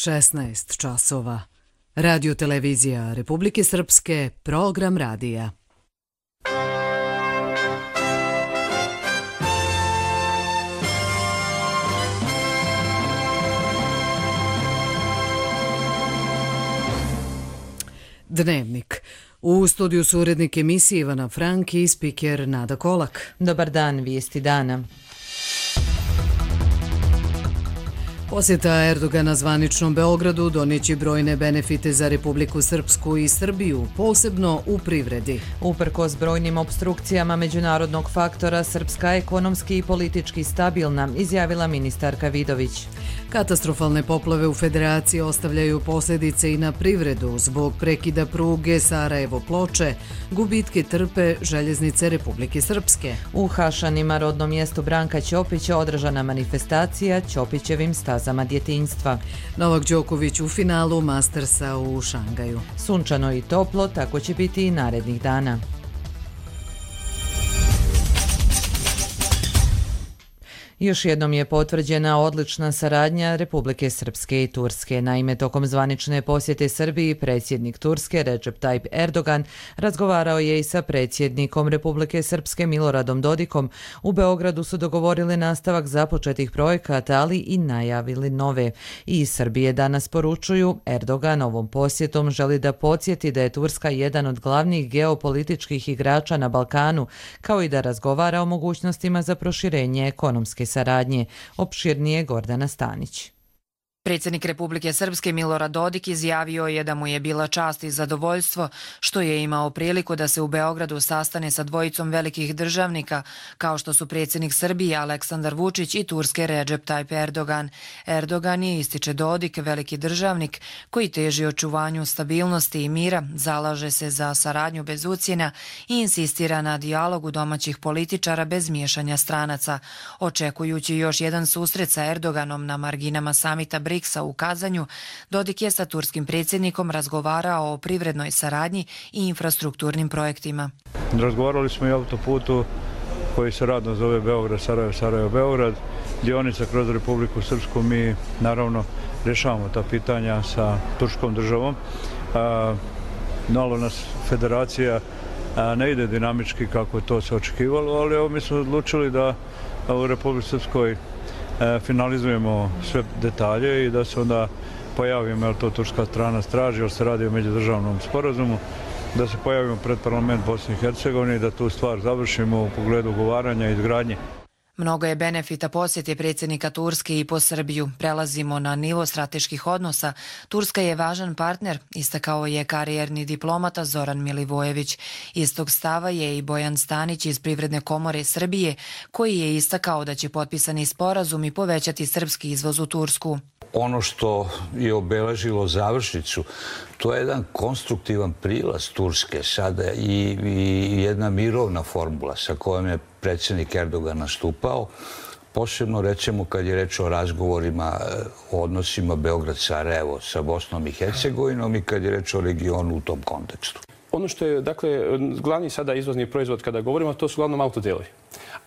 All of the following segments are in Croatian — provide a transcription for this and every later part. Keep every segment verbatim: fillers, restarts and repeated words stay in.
šesnaest časova. Radio televizija Republike Srpske, program radija. Dnevnik. U studiju su urednik emisije Ivana Frank i spiker Nada Kolak. Dobar dan, vijesti dana. Posjeta Erdogana zvaničnom Beogradu donijeće brojne benefite za Republiku Srpsku i Srbiju, posebno u privredi. Uprkos brojnim opstrukcijama međunarodnog faktora, Srpska ekonomski i politički stabilna, izjavila ministarka Vidović. Katastrofalne poplave u Federaciji ostavljaju posljedice i na privredu. Zbog prekida pruge Sarajevo-Ploče, gubitke trpe željeznice Republike Srpske. U Hašanima, rodnom mjestu Branka Ćopića, održana manifestacija Ćopićevim stazama djetinjstva. Novak Đoković u finalu Mastersa u Šangaju. Sunčano i toplo, tako će biti i narednih dana. Još jednom je potvrđena odlična saradnja Republike Srpske i Turske. Naime, tokom zvanične posjete Srbiji, predsjednik Turske Recep Tayyip Erdogan razgovarao je i sa predsjednikom Republike Srpske Miloradom Dodikom. U Beogradu su dogovorili nastavak započetih projekata, ali i najavili nove. I iz Srbije danas poručuju, Erdogan ovom posjetom želi da podsjeti da je Turska jedan od glavnih geopolitičkih igrača na Balkanu, kao i da razgovara o mogućnostima za proširenje ekonomske saradnje. Opširnije Gordana Stanić. Predsjednik Republike Srpske Milorad Dodik izjavio je da mu je bila čast i zadovoljstvo što je imao priliku da se u Beogradu sastane sa dvojicom velikih državnika kao što su predsjednik Srbije Aleksandar Vučić i Turske Recep Tayyip Erdogan. Erdogan je, ističe Dodik, veliki državnik koji teži očuvanju stabilnosti i mira, zalaže se za saradnju bez ucjena i insistira na dijalogu domaćih političara bez miješanja stranaca. Očekujući još jedan susret sa Erdoganom na marginama samita Briksa u Kazanju, Dodik je sa turskim predsjednikom razgovarao o privrednoj saradnji i infrastrukturnim projektima. Razgovarali smo i o autoputu koji se radno zove Beograd, Sarajevo, Sarajevo, Beograd, dionica kroz Republiku Srpsku. Mi naravno rješavamo ta pitanja sa turskom državom. Malo nas federacija ne ide dinamički kako to se očekivalo, ali evo mi smo odlučili da u Republici Srpskoj finalizujemo sve detalje i da se onda pojavimo, jer to turska strana straži, jer se radi o međudržavnom sporazumu, da se pojavimo pred parlament Bosne i Hercegovine i da tu stvar završimo u pogledu ugovaranja i izgradnje. Mnogo je benefita posjete predsjednika Turske i po Srbiju. Prelazimo na nivo strateških odnosa. Turska je važan partner, istakao je karijerni diplomata Zoran Milivojević. Istog stava je i Bojan Stanić iz Privredne komore Srbije, koji je istakao da će potpisani sporazumi povećati srpski izvoz u Tursku. Ono što je obeležilo završnicu, to je jedan konstruktivan prilaz Turske sada i, i jedna mirovna formula sa kojom je predsjednik Erdogan nastupao, posebno recimo kad je reč o razgovorima o odnosima Beograd-Sarajevo sa Bosnom i Hercegovinom i kad je reč o regionu u tom kontekstu. Ono što je, dakle, glavni sada izvozni proizvod kada govorimo, to su uglavnom autodelovi.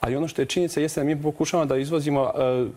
Ali ono što je činjenica jeste da mi pokušavamo da izvozimo uh,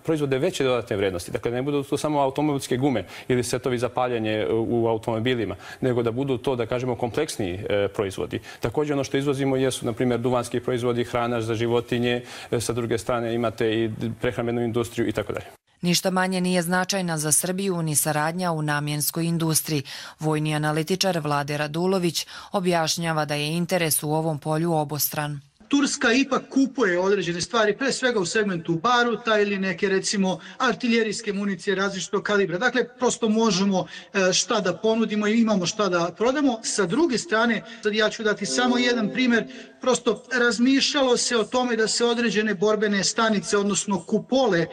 proizvode veće dodatne vrednosti. Dakle, ne budu to samo automobilske gume ili setovi za paljenje u automobilima, nego da budu to, da kažemo, kompleksniji uh, proizvodi. Također ono što izvozimo jesu, na primjer, duvanski proizvodi, hrana za životinje, sa druge strane imate i prehrambenu industriju i tako dalje. Ništa manje nije značajna za Srbiju ni saradnja u namjenskoj industriji. Vojni analitičar Vlade Radulović objašnjava da je interes u ovom polju obostran. Turska ipak kupuje određene stvari, pre svega u segmentu baruta ili neke, recimo, artiljerijske municije različitog kalibra. Dakle, prosto možemo šta da ponudimo i imamo šta da prodamo. Sa druge strane, sad ja ću dati samo jedan primjer, prosto razmišljalo se o tome da se određene borbene stanice, odnosno kupole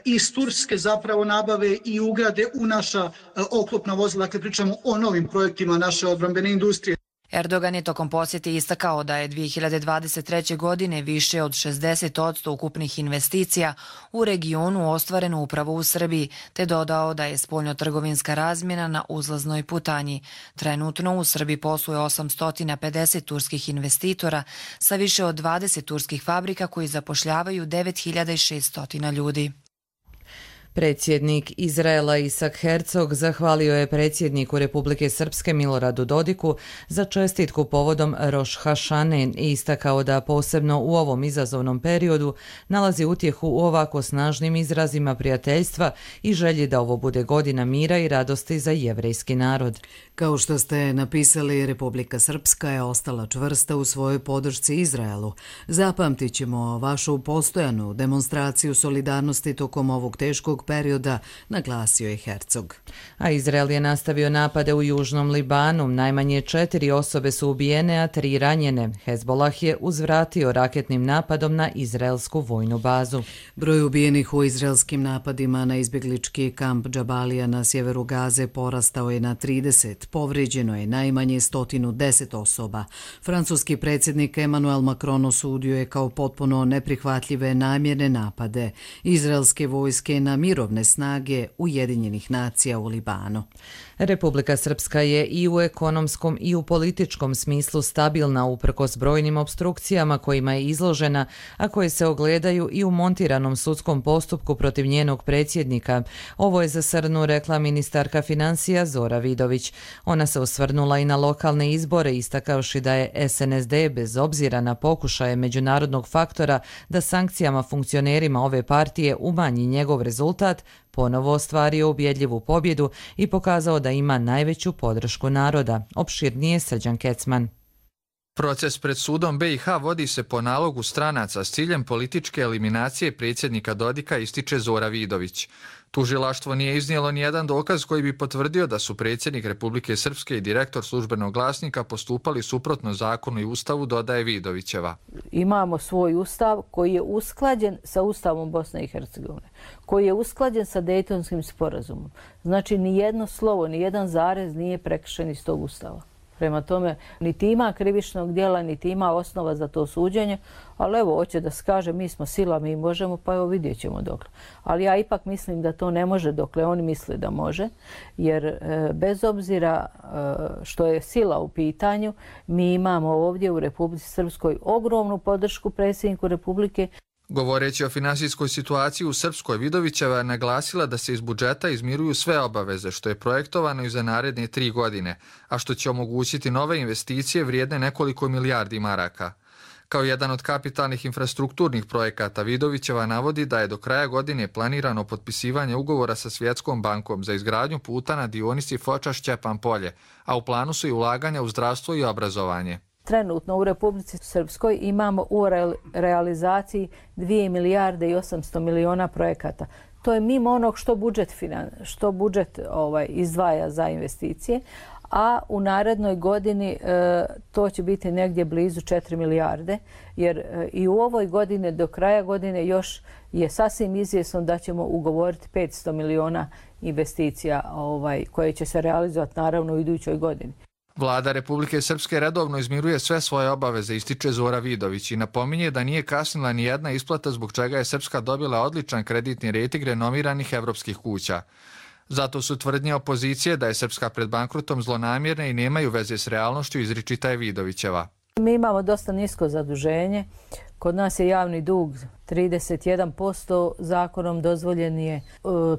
iz Turske zapravo nabave i ugrade u naša oklopna vozila. Dakle, pričamo o novim projektima naše odbrambene industrije. Erdogan je tokom posjete istakao da je dvije hiljade dvadeset treće. godine više od šezdeset posto ukupnih investicija u regionu ostvareno upravo u Srbiji, te dodao da je spoljnotrgovinska razmjena na uzlaznoj putanji. Trenutno u Srbiji posluje osamsto pedeset turskih investitora sa više od dvadeset turskih fabrika koji zapošljavaju devet hiljada šeststo ljudi. Predsjednik Izraela Isak Herzog zahvalio je predsjedniku Republike Srpske Miloradu Dodiku za čestitku povodom Roš Hašane i istakao da posebno u ovom izazovnom periodu nalazi utjehu u ovako snažnim izrazima prijateljstva i želji da ovo bude godina mira i radosti za jevrejski narod. Kao što ste napisali, Republika Srpska je ostala čvrsta u svojoj podršci Izraelu. Zapamtit ćemo vašu postojanu demonstraciju solidarnosti tokom ovog teškog perioda, naglasio je Herzog. A Izrael je nastavio napade u južnom Libanu. Najmanje četiri osobe su ubijene, a tri ranjene. Hezbolah je uzvratio raketnim napadom na izraelsku vojnu bazu. Broj ubijenih u izraelskim napadima na izbjeglički kamp Džabalija na sjeveru Gaze porastao je na trideset. Povrijeđeno je najmanje sto deset osoba. Francuski predsjednik Emmanuel Macron osudio je kao potpuno neprihvatljive namjerne napade izraelske vojske na mirovne snage Ujedinjenih nacija u Libanu. Republika Srpska je i u ekonomskom i u političkom smislu stabilna uprkos brojnim opstrukcijama kojima je izložena, a koje se ogledaju i u montiranom sudskom postupku protiv njenog predsjednika. Ovo je za Srnu rekla ministarka financija Zora Vidović. Ona se osvrnula i na lokalne izbore, istakavši da je S N S D bez obzira na pokušaje međunarodnog faktora da sankcijama funkcionerima ove partije umanji njegov rezultat, ponovo ostvario ubjedljivu pobjedu i pokazao da ima najveću podršku naroda. Opširnije Srđan Kecman. Proces pred sudom B i H vodi se po nalogu stranaca s ciljem političke eliminacije predsjednika Dodika, ističe Zora Vidović. Tužilaštvo nije iznijelo nijedan dokaz koji bi potvrdio da su predsjednik Republike Srpske i direktor službenog glasnika postupali suprotno zakonu i ustavu, dodaje Vidovićeva. Imamo svoj ustav koji je usklađen sa ustavom Bosne i Hercegovine, koji je usklađen sa Dejtonskim sporazumom. Znači, ni jedno slovo, ni jedan zarez nije prekršen iz tog ustava. Prema tome, niti ima krivičnog djela, niti ima osnova za to suđenje, ali evo, hoće da se kaže mi smo sila, mi možemo, pa evo vidjet ćemo dokle. Ali ja ipak mislim da to ne može dokle oni misle da može, jer e, bez obzira e, što je sila u pitanju, mi imamo ovdje u Republici Srpskoj ogromnu podršku predsjedniku Republike. Govoreći o finansijskoj situaciji u Srpskoj, Vidovićeva je naglasila da se iz budžeta izmiruju sve obaveze, što je projektovano i za naredne tri godine, a što će omogućiti nove investicije vrijedne nekoliko milijardi maraka. Kao jedan od kapitalnih infrastrukturnih projekata, Vidovićeva navodi da je do kraja godine planirano potpisivanje ugovora sa Svjetskom bankom za izgradnju puta na dionici Foča-Šćepan Polje, a u planu su i ulaganja u zdravstvo i obrazovanje. Trenutno u Republici Srpskoj imamo u realizaciji dvije milijarde i osamsto miliona projekata. To je mimo onog što budžet, što budžet ovaj, izdvaja za investicije, a u narednoj godini e, to će biti negdje blizu četiri milijarde, jer e, i u ovoj godini do kraja godine još je sasvim izvjesno da ćemo ugovoriti petsto miliona investicija ovaj, koje će se realizovati naravno u idućoj godini. Vlada Republike Srpske redovno izmiruje sve svoje obaveze, ističe Zora Vidović i napominje da nije kasnila ni jedna isplata zbog čega je Srpska dobila odličan kreditni rejting renomiranih evropskih kuća. Zato su tvrdnje opozicije da je Srpska pred bankrotom zlonamjerne i nemaju veze s realnošću, izričita je Vidovićeva. Mi imamo dosta nisko zaduženje. Kod nas je javni dug trideset jedan posto, zakonom dozvoljen je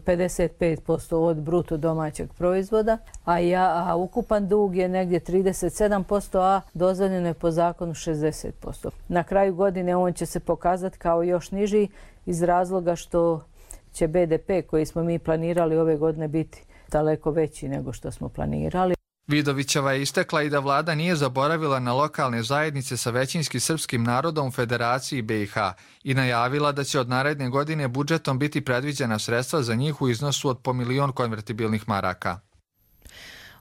pedeset pet posto od bruto domaćeg proizvoda, a, ja, a ukupan dug je negdje trideset sedam posto, a dozvoljeno je po zakonu šezdeset posto. Na kraju godine on će se pokazati kao još niži iz razloga što će B D P koji smo mi planirali ove godine biti daleko veći nego što smo planirali. Vidovićeva je istakla i da vlada nije zaboravila na lokalne zajednice sa većinski srpskim narodom u Federaciji B i H i najavila da će od naredne godine budžetom biti predviđena sredstva za njih u iznosu od po milion konvertibilnih maraka.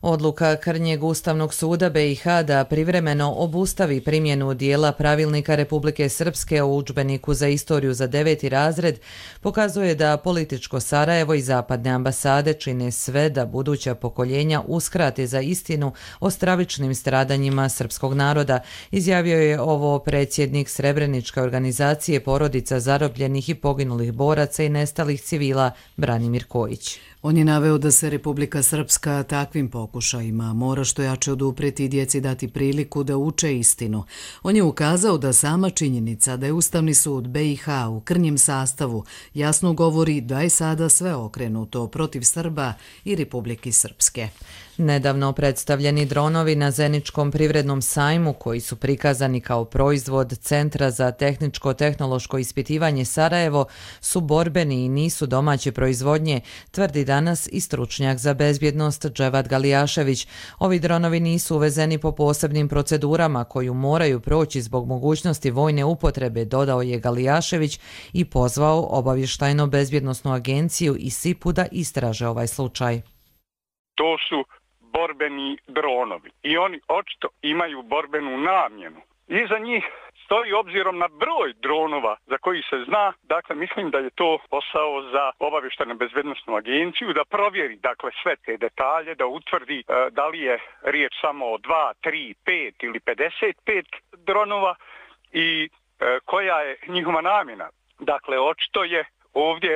Odluka Krnjeg Ustavnog suda B i H da privremeno obustavi primjenu dijela pravilnika Republike Srpske o udžbeniku za istoriju za deveti razred pokazuje da političko Sarajevo i zapadne ambasade čine sve da buduća pokoljenja uskrate za istinu o stravičnim stradanjima srpskog naroda, izjavio je ovo predsjednik Srebreničke organizacije porodica zarobljenih i poginulih boraca i nestalih civila Branimir Kojić. On je naveo da se Republika Srpska takvim pokušajima pokušajima, mora što jače odupreti i djeci dati priliku da uče istinu. On je ukazao da sama činjenica da je Ustavni sud B i H u krnjem sastavu jasno govori da je sada sve okrenuto protiv Srba i Republike Srpske. Nedavno predstavljeni dronovi na Zeničkom privrednom sajmu, koji su prikazani kao proizvod Centra za tehničko-tehnološko ispitivanje Sarajevo, su borbeni i nisu domaće proizvodnje, tvrdi danas i stručnjak za bezbjednost Dževad Galijašević. Ovi dronovi nisu uvezeni po posebnim procedurama koju moraju proći zbog mogućnosti vojne upotrebe, dodao je Galijašević i pozvao obavještajno-bezbjednosnu agenciju i S I P U da istraže ovaj slučaj. To su borbeni dronovi i oni očito imaju borbenu namjenu. Iza njih stoji, obzirom na broj dronova za koji se zna, dakle mislim da je to posao za obavještajno bezbednosnu agenciju da provjeri dakle sve te detalje, da utvrdi e, da li je riječ samo o dva, tri, pet ili pedeset pet dronova i e, koja je njihova namjena. Dakle, očito je ovdje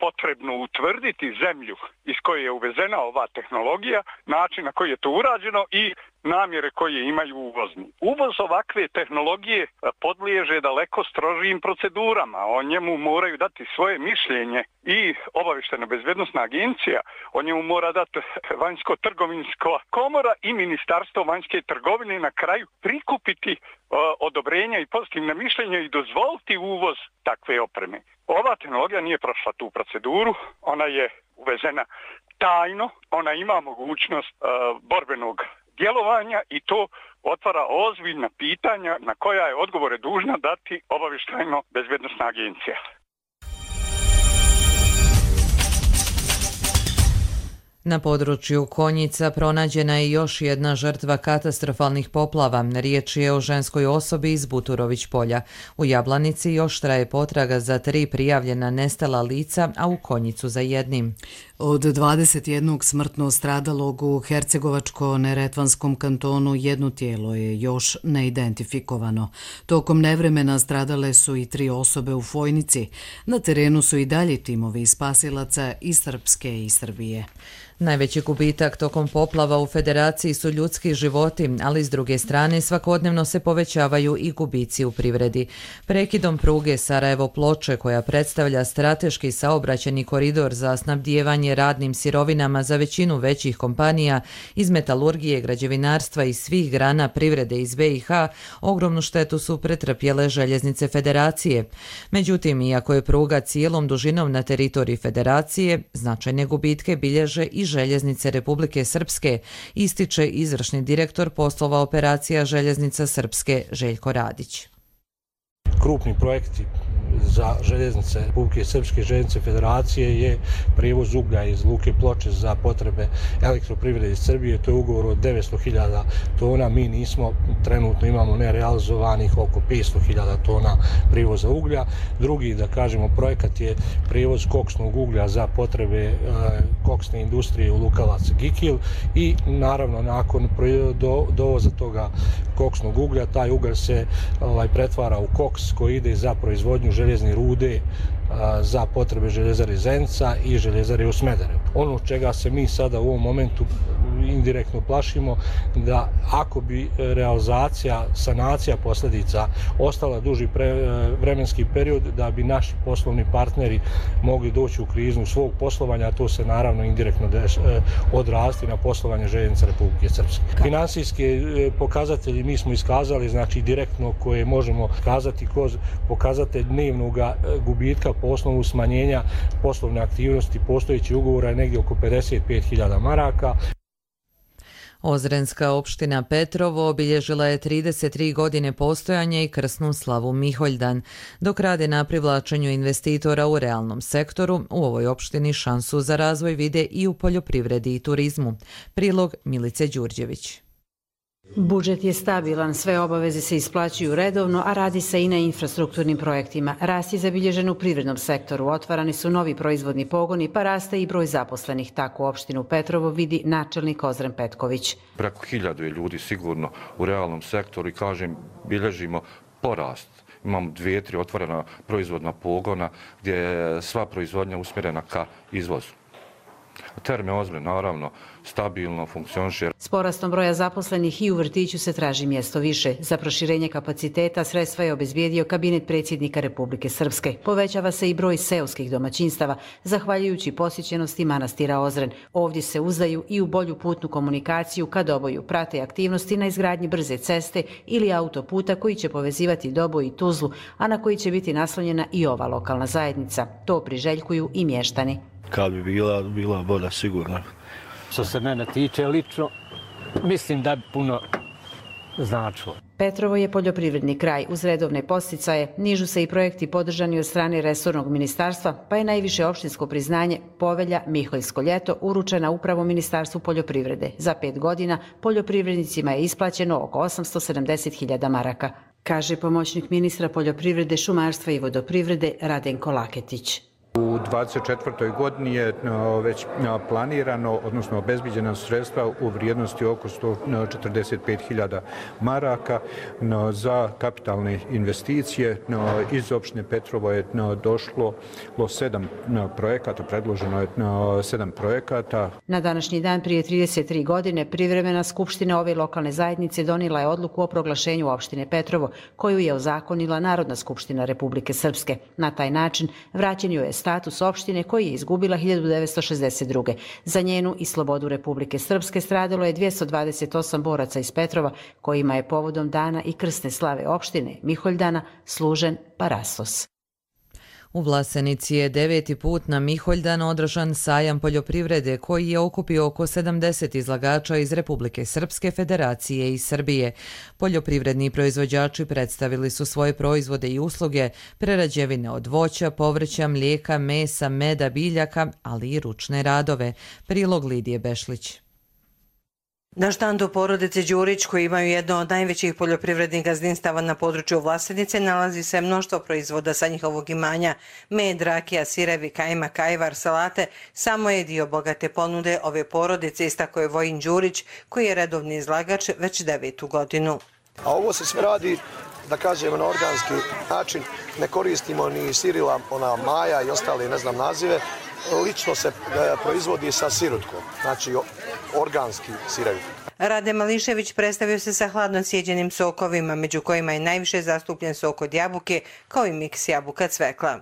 potrebno utvrditi zemlju iz koje je uvezena ova tehnologija, način na koji je to urađeno i namjere koje imaju uvozni. Uvoz ovakve tehnologije podliježe daleko strožijim procedurama. O njemu moraju dati svoje mišljenje i obavještajno-bezbjednosna agencija, o njemu mora dati vanjsko-trgovinska komora i Ministarstvo vanjske trgovine, na kraju prikupiti odobrenja i pozitivne mišljenja i dozvoliti uvoz takve opreme. Ova tehnologija nije prošla tu proceduru, ona je uvezena tajno, ona ima mogućnost uh, borbenog djelovanja i to otvara ozbiljna pitanja na koja je odgovore dužna dati obavještajno-bezbjednosna agencija. Na području Konjica pronađena je još jedna žrtva katastrofalnih poplava. Riječ je o ženskoj osobi iz Buturović polja. U Jablanici još traje potraga za tri prijavljena nestala lica, a u Konjicu za jednim. Od dvadeset jednog smrtno stradalog u Hercegovačko-Neretvanskom kantonu jedno tijelo je još neidentifikovano. Tokom nevremena stradale su i tri osobe u Fojnici. Na terenu su i dalje timovi spasilaca iz Srpske i Srbije. Najveći gubitak tokom poplava u Federaciji su ljudski životi, ali s druge strane svakodnevno se povećavaju i gubici u privredi. Prekidom pruge Sarajevo-Ploče, koja predstavlja strateški saobraćajni koridor za snabdijevanje radnim sirovinama za većinu većih kompanija iz metalurgije, građevinarstva i svih grana privrede iz B i H, ogromnu štetu su pretrpjele željeznice Federacije. Međutim, iako je pruga cijelom dužinom na teritoriji Federacije, značajne gubitke bilježe i željeznice Republike Srpske, ističe izvršni direktor poslova operacija željeznica Srpske Željko Radić. Krupni projekti za željeznice Republike Srpske, željeznice Federacije je prijevoz uglja iz Luke Ploče za potrebe elektroprivrede Srbije. To je ugovor od devetsto hiljada tona. Mi nismo, trenutno imamo nerealizovanih oko petsto hiljada tona prijevoza uglja. Drugi, da kažemo, projekat je prijevoz koksnog uglja za potrebe e, koksne industrije u Lukavac Gikil i naravno nakon do, dovoza toga koksnog uglja, taj ugalj se ovaj, pretvara u koks koji ide za proizvodnju željezne rude za potrebe željezare Zenica i željezare u Smederevu. Ono čega se mi sada u ovom momentu indirektno plašimo, da ako bi realizacija, sanacija posljedica ostala duži pre, vremenski period, da bi naši poslovni partneri mogli doći u krizu svog poslovanja, a to se naravno indirektno deš, odrasti na poslovanje željeznica Republike Srpske. Finansijske pokazatelji mi smo iskazali, znači direktno koje možemo kazati kroz pokazatelj dnevnog gubitka po osnovu smanjenja poslovne aktivnosti postojeći ugovora je negdje oko pedeset pet hiljada maraka. Ozrenska opština Petrovo obilježila je trideset tri godine postojanja i krsnu slavu Miholjdan. Dok rade na privlačenju investitora u realnom sektoru, u ovoj opštini šansu za razvoj vide i u poljoprivredi i turizmu. Prilog Milice Đurđević. Budžet je stabilan, sve obaveze se isplaćuju redovno, a radi se i na infrastrukturnim projektima. Rast je zabilježen u privrednom sektoru, otvarani su novi proizvodni pogoni, pa raste i broj zaposlenih. Tako u opštinu Petrovo vidi načelnik Ozren Petković. Preko hiljadu je ljudi sigurno u realnom sektoru i kažem, bilježimo porast. Imamo dvije, tri otvorena proizvodna pogona gdje je sva proizvodnja usmjerena ka izvozu. Terme ozme, naravno, stabilno funkcioniše. S porastom broja zaposlenih i u vrtiću se traži mjesto više. Za proširenje kapaciteta sredstva je obezbijedio kabinet predsjednika Republike Srpske. Povećava se i broj seoskih domaćinstava, zahvaljujući posjećenosti manastira Ozren. Ovdje se uzdaju i u bolju putnu komunikaciju kad oboju prate aktivnosti na izgradnji brze ceste ili autoputa koji će povezivati Doboj i Tuzlu, a na koji će biti naslonjena i ova lokalna zajednica. To priželjkuju i mještani. Kad bi bila, bila bolja sigurno. Što se mene tiče lično, mislim da bi puno značilo. Petrovo je poljoprivredni kraj. Uz redovne posticaje nižu se i projekti podržani od strane resornog ministarstva, pa je najviše opštinsko priznanje Povelja Miholjsko ljeto uručena upravo Ministarstvu poljoprivrede. Za pet godina poljoprivrednicima je isplaćeno oko osamsto sedamdeset hiljada maraka, kaže pomoćnik ministra poljoprivrede, šumarstva i vodoprivrede Radenko Laketić. U dvadeset četvrtoj godini je već planirano, odnosno obezbiđena sredstva u vrijednosti oko sto četrdeset pet hiljada maraka za kapitalne investicije. Iz opštine Petrovo je došlo sedam projekata, predloženo je sedam projekata. Na današnji dan prije trideset tri godine privremena skupština ove lokalne zajednice donijela je odluku o proglašenju opštine Petrovo, koju je ozakonila Narodna skupština Republike Srpske. Na taj način vraćen joj je status opštine koji je izgubila hiljadu devetsto šezdeset druge. Za njenu i slobodu Republike Srpske stradalo je dvjesto dvadeset osam boraca iz Petrova, kojima je povodom dana i krsne slave opštine Miholjdana služen parasos. U Vlasenici je deveti put na Miholjdan održan sajam poljoprivrede koji je okupio oko sedamdeset izlagača iz Republike Srpske, Federacije i Srbije. Poljoprivredni proizvođači predstavili su svoje proizvode i usluge, prerađevine od voća, povrća, mlijeka, mesa, meda, biljaka, ali i ručne radove. Prilog Lidije Bešlić. Na štandu porodice Đurić, koji imaju jedno od najvećih poljoprivrednih gazdinstava na području Vlasenice, nalazi se mnoštvo proizvoda sa njihovog imanja. Med, rakija, sirevi, kajmak, kajvar, salate, samo je dio bogate ponude ove porodice, istako je Vojin Đurić, koji je redovni izlagač već devetu godinu. A ovo se sve radi, da kažemo, na organski način. Ne koristimo ni sirila, ona maja i ostale, ne znam, nazive. Lično se proizvodi sa sirutkom, znači organski sirevi. Rade Mališević predstavio se sa hladno sjeđenim sokovima, među kojima je najviše zastupljen sok od jabuke, kao i miks jabuka cvekla.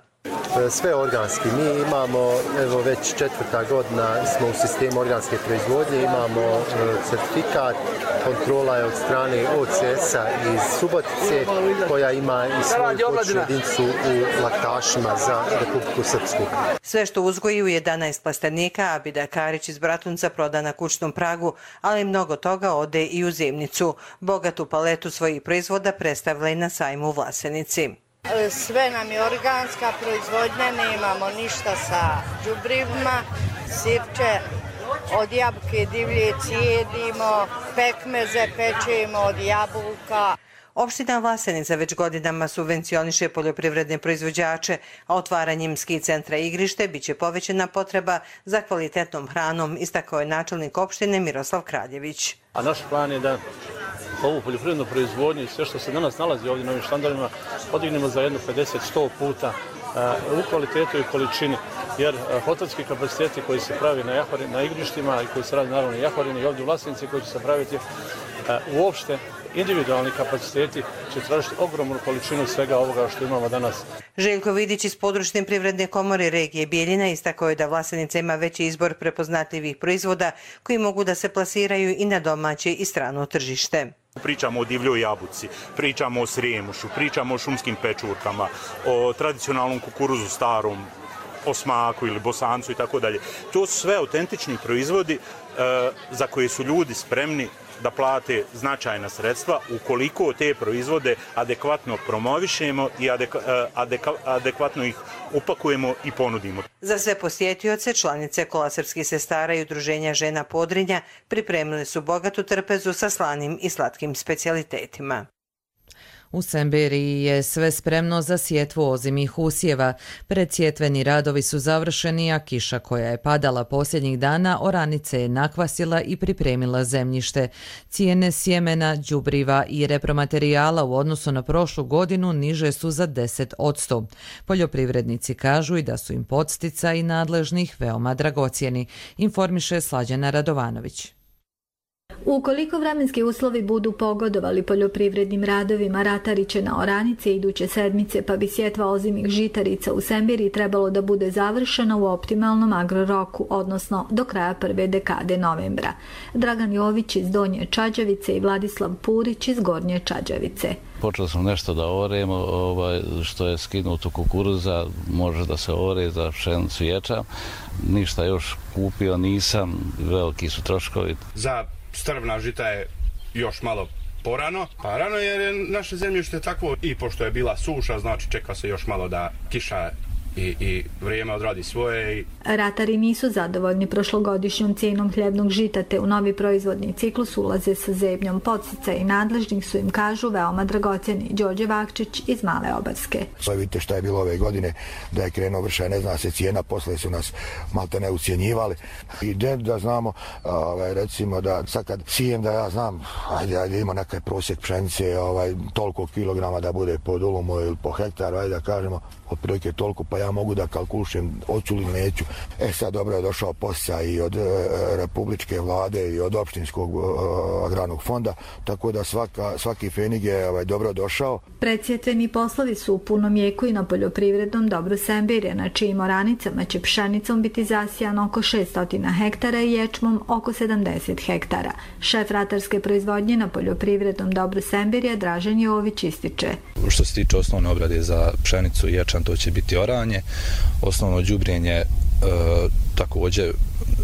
Sve organski. Mi imamo, evo već četvrta godina smo u sistemu organske proizvodnje, imamo certifikat, kontrola je od strane O C S-a iz Subotice, koja ima i svoju počnu jedincu u laktašima za Republiku Srpsku. Sve što uzgoji u jedanaest plastenika, Abida Karić iz Bratunca proda na kućnom pragu, ali mnogo toga ode i u Zimnicu. Bogatu paletu svojih proizvoda predstavila i na sajmu u Vlasenici. Sve nam je organska proizvodnja, nemamo ništa sa đubrivima, sirče od jabuke divlje cijedimo, pekmeze pečemo od jabuka. Opština Vlasenica već godinama subvencioniše poljoprivredne proizvođače, a otvaranjem ski centra Igrište biće povećana potreba za kvalitetnom hranom, istakao je načelnik opštine Miroslav Kraljević. A naš plan je da ovu poljoprivrednu proizvodnju i sve što se danas nalazi ovdje na ovim štandovima podignemo za jedno pedeset do sto puta u kvalitetu i količini, jer hotelski kapaciteti koji se pravi na, jahori, na igrištima i koji se radi naravno i Jahorini i ovdje u Vlasenici koji će se praviti uopšte, individualni kapaciteti će tražiti ogromnu količinu svega ovoga što imamo danas. Željko Vidić iz područne privredne komore regije Bijeljina istakao je da Vlasenica ima veći izbor prepoznatljivih proizvoda koji mogu da se plasiraju i na domaće i strano tržište. Pričamo o divljoj jabuci, pričamo o srijemušu, pričamo o šumskim pečurkama, o tradicionalnom kukuruzu starom, o smaku ili bosancu i tako dalje. To su sve autentični proizvodi za koje su ljudi spremni da plate značajna sredstva ukoliko te proizvode adekvatno promovišemo i adekvatno ih upakujemo i ponudimo. Za sve posjetioce, članice Kola srpskih sestara i udruženja žena Podrinja pripremili su bogatu trpezu sa slanim i slatkim specijalitetima. U Semberiji je sve spremno za sjetvu ozimih usjeva. Predsjetveni radovi su završeni, a kiša koja je padala posljednjih dana oranice je nakvasila i pripremila zemljište. Cijene sjemena, đubriva i repromaterijala u odnosu na prošlu godinu niže su za deset posto. Poljoprivrednici kažu i da su im podsticaji nadležnih veoma dragocjeni, informiše Slađana Radovanović. Ukoliko vremenski uslovi budu pogodovali poljoprivrednim radovima, ratari će na oranice iduće sedmice, pa bi sjetva ozimih žitarica u Semberiji trebalo da bude završena u optimalnom agroroku, odnosno do kraja prve dekade novembra. Dragan Jović iz Donje Čađavice i Vladislav Purić iz Gornje Čađavice. Počeli smo nešto da oremo, ovaj, što je skinuto kukuruza, može da se ore za pšenicu ječam. Ništa još kupio nisam, veliki su troškovi. Za strvna žita je još malo porano, pa rano jer je naše zemljište takvo i pošto je bila suša, znači čeka se još malo da kiša i, i vrijeme odradi svoje. I... Ratari nisu zadovoljni prošlogodišnjom cijenom hljebnog žita, te u novi proizvodni ciklus ulaze sa zebnjom. Podsticaji i nadležnih su im, kažu, veoma dragocjeni. Đorđe Vakčić iz Male Obarske. Vidite šta je bilo ove godine, da je krenuo vršaj, ne zna se cijena, posle su nas malte ne ucijenjivali. I da znamo, ovaj, recimo da sad kad sijem da ja znam, ajde, ajde ima nekaj prosjek pšenice, ovaj, toliko kilograma da bude po dulumu ili po hektaru, ajde da kažemo, otprilike toliko, pa ja mogu da kalkulišem hoću li neću. E sad dobro je došao posticaj i od e, republičke vlade i od opštinskog e, agrarnog fonda, tako da svaka, svaki fenig je ovaj, dobro došao. Predsjetveni poslovi su u punom jeku i na poljoprivrednom dobru Semberije, na čijim oranicama će pšenicom biti zasijano oko šesto hektara i ječmom oko sedamdeset hektara. Šef ratarske proizvodnje na poljoprivrednom dobru Semberije Dražen Jović ističe. Što se tiče osnovne obrade za pšenicu i ječam, to će biti oranje. Osnovno đubrijenje e, također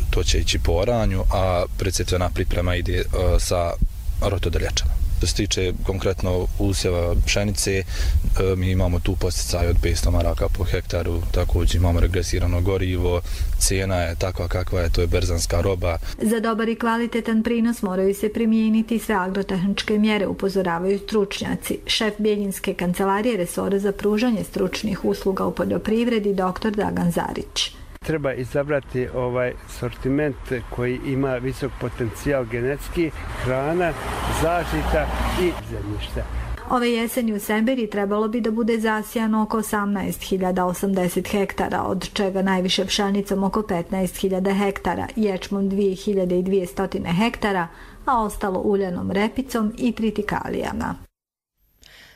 to će ići po oranju, a predsjetvena priprema ide e, sa rotodrljačama. Što se tiče konkretno usjeva pšenice, e, mi imamo tu posticaj od petsto maraka po hektaru, također imamo regresirano gorivo, cijena je takva kakva je, to je berzanska roba. Za dobar i kvalitetan prinos moraju se primijeniti sve agrotehničke mjere, upozoravaju stručnjaci. Šef Bjeljinske kancelarije resora za pružanje stručnih usluga u poljoprivredi dr. Dragan Zarić. Treba izabrati ovaj sortiment koji ima visok potencijal genetski, hrana, zaštita i zemljište. Ove jeseni u Semberiji trebalo bi da bude zasijano oko osamnaest hiljada osamdeset hektara, od čega najviše pšenicom oko petnaest hiljada hektara, ječmom dvije hiljade dvjesto hektara, a ostalo uljanom repicom i tritikalijama.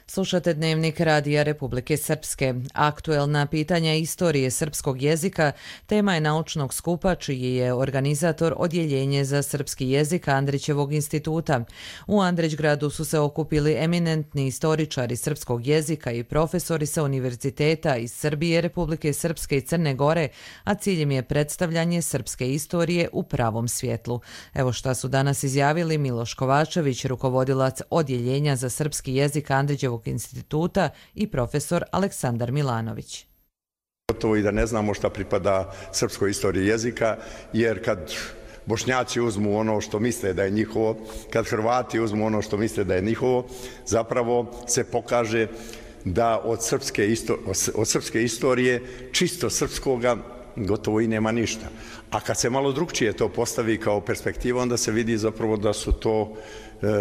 Slušate Dnevnik Radija Republike Srpske. Aktuelna pitanja istorije srpskog jezika tema je naučnog skupa čiji je organizator Odjeljenje za srpski jezik Andrićevog instituta. U Andrićgradu su se okupili eminentni istoričari srpskog jezika i profesori sa univerziteta iz Srbije, Republike Srpske i Crne Gore, a ciljem je predstavljanje srpske istorije u pravom svjetlu. Evo šta su danas izjavili Miloš Kovačević, rukovodilac Odjeljenja za srpski jezik Andrićevog instituta, i profesor Aleksandar Milanović. Gotovo i da ne znamo šta pripada srpskoj istoriji jezika, jer kad Bošnjaci uzmu ono što misle da je njihovo, kad Hrvati uzmu ono što misle da je njihovo, zapravo se pokaže da od srpske, isto, od srpske istorije, čisto srpskoga, gotovo i nema ništa. A kad se malo drugčije to postavi kao perspektiva, onda se vidi zapravo da su to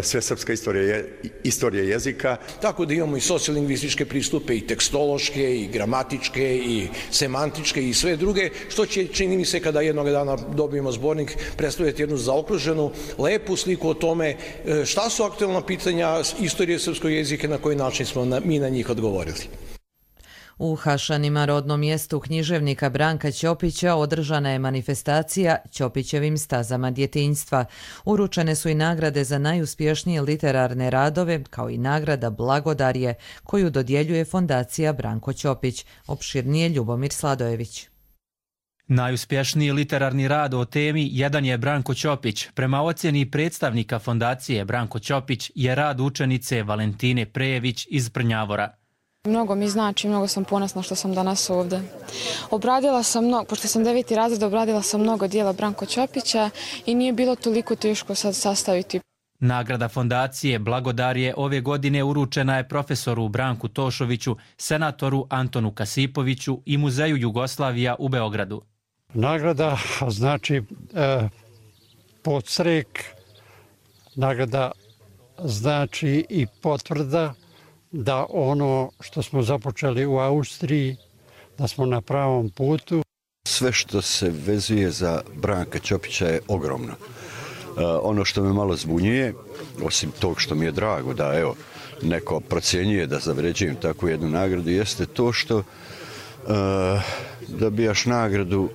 sve srpska istorija, istorija jezika. Tako da imamo i sociolingvističke pristupe, i tekstološke, i gramatičke, i semantičke, i sve druge, što će, čini mi se, kada jednog dana dobijemo zbornik, predstavljati jednu zaokruženu, lepu sliku o tome šta su aktuelna pitanja istorije srpskog jezika, na koji način smo na, mi na njih odgovorili. U Hašanima, rodnom mjestu književnika Branka Ćopića, održana je manifestacija Ćopićevim stazama djetinjstva. Uručene su i nagrade za najuspješnije literarne radove, kao i nagrada Blagodarje, koju dodjeljuje fondacija Branko Ćopić. Opširnije Ljubomir Sladojević. Najuspješniji literarni rad o temi jedan je Branko Ćopić. Prema ocjeni predstavnika fondacije Branko Ćopić je rad učenice Valentine Prejević iz Prnjavora. Mnogo mi znači, mnogo sam ponosna što sam danas ovdje. Obradila sam mnogo, pošto sam deveti razred, obradila sam mnogo dijela Branko Ćopića i nije bilo toliko teško sad sastaviti. Nagrada fondacije Blagodar je ove godine uručena je profesoru Branku Tošoviću, senatoru Antonu Kasipoviću i Muzeju Jugoslavija u Beogradu. Nagrada znači e, podstrek, nagrada znači i potvrda da ono što smo započeli u Austriji, da smo na pravom putu. Sve što se vezuje za Branka Ćopića je ogromno. Uh, ono što me malo zbunjuje, osim tog što mi je drago da evo, neko procjenjuje da zavređujem takvu jednu nagradu, jeste to što uh, dobijaš nagradu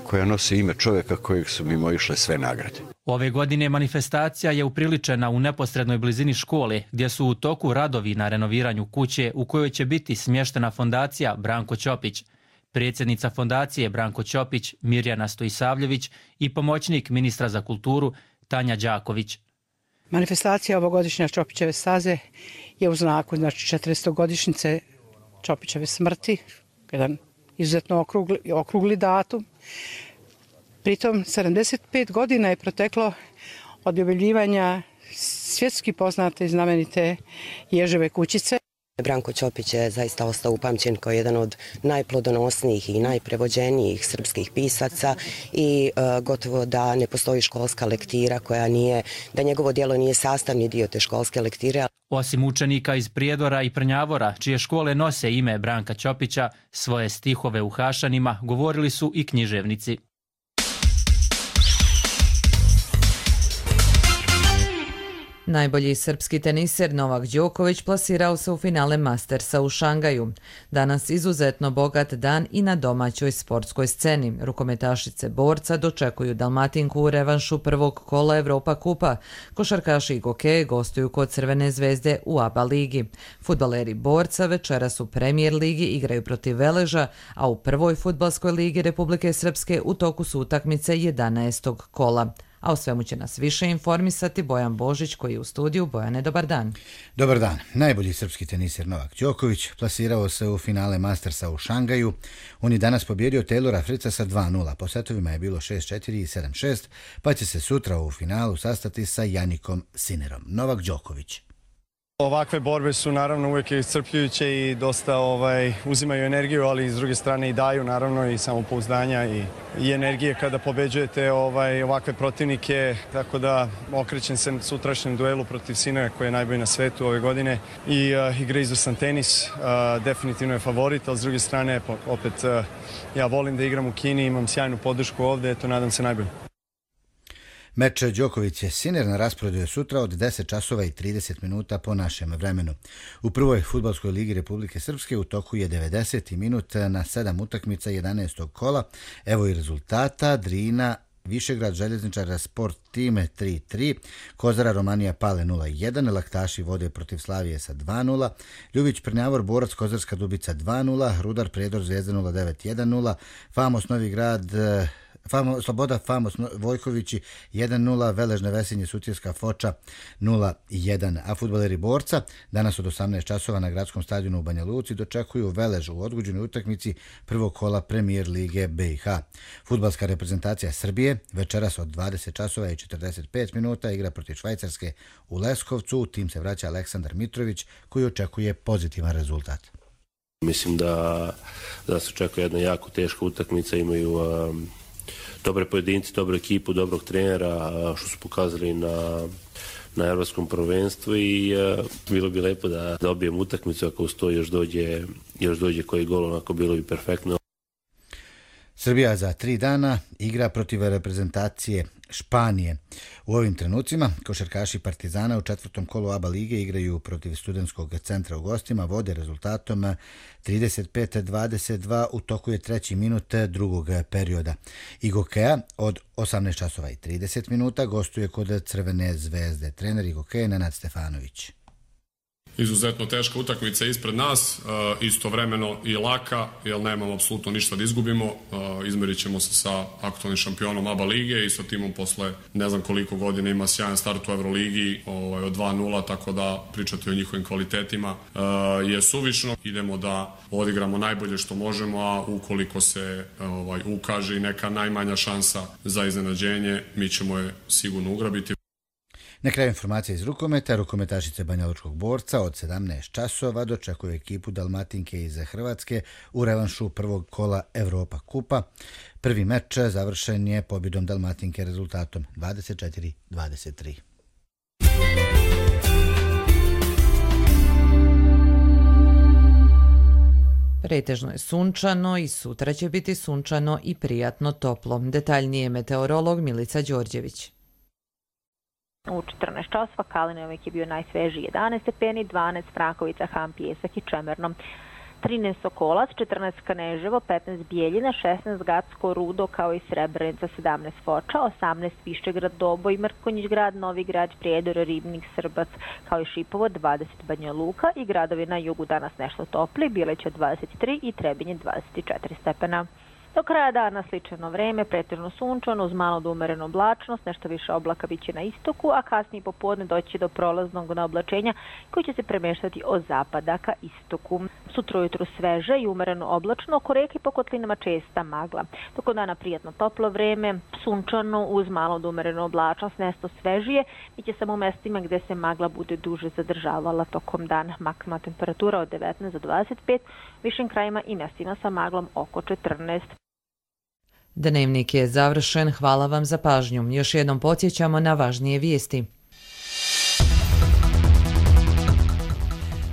koja nosi ime čovjeka kojeg su mimo išle sve nagrade. Ove godine manifestacija je upriličena u neposrednoj blizini škole, gdje su u toku radovi na renoviranju kuće u kojoj će biti smještena fondacija Branko Ćopić. Predsjednica fondacije Branko Ćopić, Mirjana Stojisavljević i pomoćnik ministra za kulturu Tanja Đaković. Manifestacija ovogodišnja Ćopićeve staze je u znaku znači četiristogodišnjice Ćopićeve smrti, jedan izuzetno okrugli, okrugli datum. Pritom sedamdeset pet godina je proteklo od objavljivanja svjetski poznate i znamenite Ježeve kućice. Branko Ćopić je zaista ostao upamćen kao jedan od najplodonosnijih i najprevođenijih srpskih pisaca i e, gotovo da ne postoji školska lektira koja nije, da njegovo djelo nije sastavni dio te školske lektire. Osim učenika iz Prijedora i Prnjavora, čije škole nose ime Branka Ćopića, svoje stihove u Hašanima govorili su i književnici. Najbolji srpski teniser Novak Đoković plasirao se u finale Mastersa u Šangaju. Danas izuzetno bogat dan i na domaćoj sportskoj sceni. Rukometašice Borca dočekuju Dalmatinku u revanšu prvog kola Evropa kupa. Košarkaši i gokeje gostuju kod Crvene zvezde u A B A ligi. Fudbaleri Borca večeras u Premijer ligi igraju protiv Veleža, a u prvoj fudbalskoj ligi Republike Srpske u toku su utakmice jedanaestog kola. A o svemu će nas više informisati Bojan Božić koji je u studiju. Bojane, dobar dan. Dobar dan. Najbolji srpski teniser Novak Đoković plasirao se u finale Mastersa u Šangaju. On je danas pobjedio Taylora Fritza sa dva nula. Po setovima je bilo šest četiri i sedam šest, pa će se sutra u finalu sastati sa Janikom Sinerom. Novak Đoković. Ovakve borbe su naravno uvijek iscrpljujuće i dosta ovaj, uzimaju energiju, ali s druge strane i daju naravno i samopouzdanja i, i energije kada pobeđujete ovaj, ovakve protivnike. Tako da okrećem se sutrašnjem duelu protiv Sinera koji je najbolji na svetu ove godine i uh, igra izvrstan tenis, uh, definitivno je favorit, ali s druge strane opet uh, ja volim da igram u Kini, imam sjajnu podršku ovdje, eto nadam se najbolje. Meč Đoković-Siner na rasporedu je sutra od deset časova i trideset minuta po našem vremenu. U prvoj fudbalskoj ligi Republike Srpske u toku je devedeseti minut na sedam utakmica jedanaestog kola. Evo i rezultata. Drina Višegrad Željezničara Sport Time tri tri, Kozara Romanija Pale nula jedan, Laktaši vode protiv Slavije sa dva nula, Ljubić Prnjavor Borac Kozarska Dubica dva nula, Rudar Prijedor Zvijezda nula devet jedan nula, Famos Novi Grad Famo, Sloboda Famos Vojkovići jedan nula, Veležne Vesinje Sutjeska Foča nula jedan. A fudbaleri Borca danas od osamnaest časova na gradskom stadionu u Banja Luci dočekuju Velež u odgođenoj utakmici prvog kola Premijer lige B i H. Fudbalska reprezentacija Srbije večeras od dvadeset časova i četrdeset pet minuta igra protiv Švajcarske u Leskovcu. U tim se vraća Aleksandar Mitrović koji očekuje pozitivan rezultat. Mislim da, da se očekuje jedna jako teška utakmica, imaju um... dobre pojedinci, dobru ekipu, dobrog trenera, što su pokazali na, na evropskom prvenstvu i uh, bilo bi lepo da dobijem utakmicu, ako uz to još dođe, još dođe koji gol, onako bilo bi perfektno. Srbija za tri dana igra protiv reprezentacije Španije. U ovim trenucima košarkaši Partizana u četvrtom kolu A B A lige igraju protiv Studentskog centra u gostima, vode rezultatom trideset pet dvadeset dva, u toku je treći minut drugog perioda. Igokeja od osamnaest časova i trideset minuta gostuje kod Crvene zvezde. Trener Igokeje Nenad Stefanović. Izuzetno teška utakmica ispred nas, istovremeno i laka, jer nemamo apsolutno ništa da izgubimo. Izmerit ćemo se sa aktualnim šampionom A B A lige i sa timom posle ne znam koliko godina ima sjajan start u Euroligi od dva nula, tako da pričati o njihovim kvalitetima je suvišno. Idemo da odigramo najbolje što možemo, a ukoliko se ovaj, ukaže i neka najmanja šansa za iznenađenje, mi ćemo je sigurno ugrabiti. Na kraju informacija iz rukometa, rukometašice Banjalučkog Borca od sedamnaest časova dočekuju ekipu Dalmatinke iz Hrvatske u revanšu prvog kola Evropa kupa. Prvi meč završen je pobjedom Dalmatinke rezultatom dvadeset četiri dvadeset tri. Pretežno je sunčano i sutra će biti sunčano i prijatno toplo. Detaljnije meteorolog Milica Đorđević. U četrnaest časova Kalinovik je bio najsvežiji jedanaest stepeni, dvanaest Frankovica, Han, Pijesak i Čemerno. trinaest Sokolac, četrnaest Kaneževo, petnaest Bijeljina, šesnaest Gacko, Rudo kao i Srebrenica, sedamnaest Foča, osamnaest Višegrad, Doboj, Mrkonjić grad, Novi grad, Prijedor, Ribnik, Srbac kao i Šipovo, dvadeset Banja Luka i gradovi na jugu danas nešto topli, Bileća dvadeset tri i Trebinje dvadeset četiri stepena. Do kraja dana sličano vreme, pretežno sunčano uz malo do umerenu oblačnost, nešto više oblaka biće na istoku, a kasnije popodne doći do prolaznog naoblačenja koji će se premeštati od zapada ka istoku. Sutra ujutru sveže i umereno oblačno, oko reke po kotlinama česta magla. Toko dana prijatno toplo vreme, sunčano uz malo do umerenu oblačnost, nešto svežije, biće samo u mestima gde se magla bude duže zadržavala tokom dana. Maksimalna temperatura od devetnaest do dvadeset pet, višim krajima i mestima sa maglom oko četrnaest. Dnevnik je završen, hvala vam za pažnju. Još jednom podsjećamo na važnije vijesti.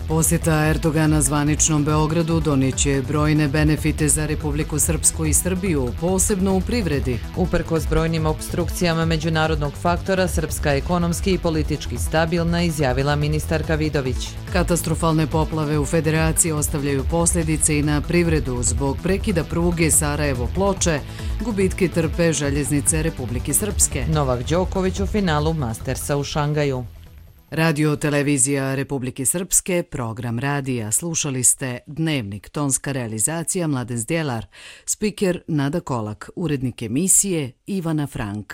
Posjeta Erdogana zvaničnom Beogradu donijeće brojne benefite za Republiku Srpsku i Srbiju, posebno u privredi. Uprkos brojnim opstrukcijama međunarodnog faktora, Srpska je ekonomski i politički stabilna, izjavila ministarka Vidović. Katastrofalne poplave u Federaciji ostavljaju posljedice i na privredu zbog prekida pruge Sarajevo-Ploče, gubitke trpe željeznice Republike Srpske. Novak Đoković u finalu Mastersa u Šangaju. Radio televizija Republike Srpske, program radija. Slušali ste Dnevnik, tonska realizacija Mladen Zdjelar, spiker Nada Kolak, urednik emisije Ivana Frank.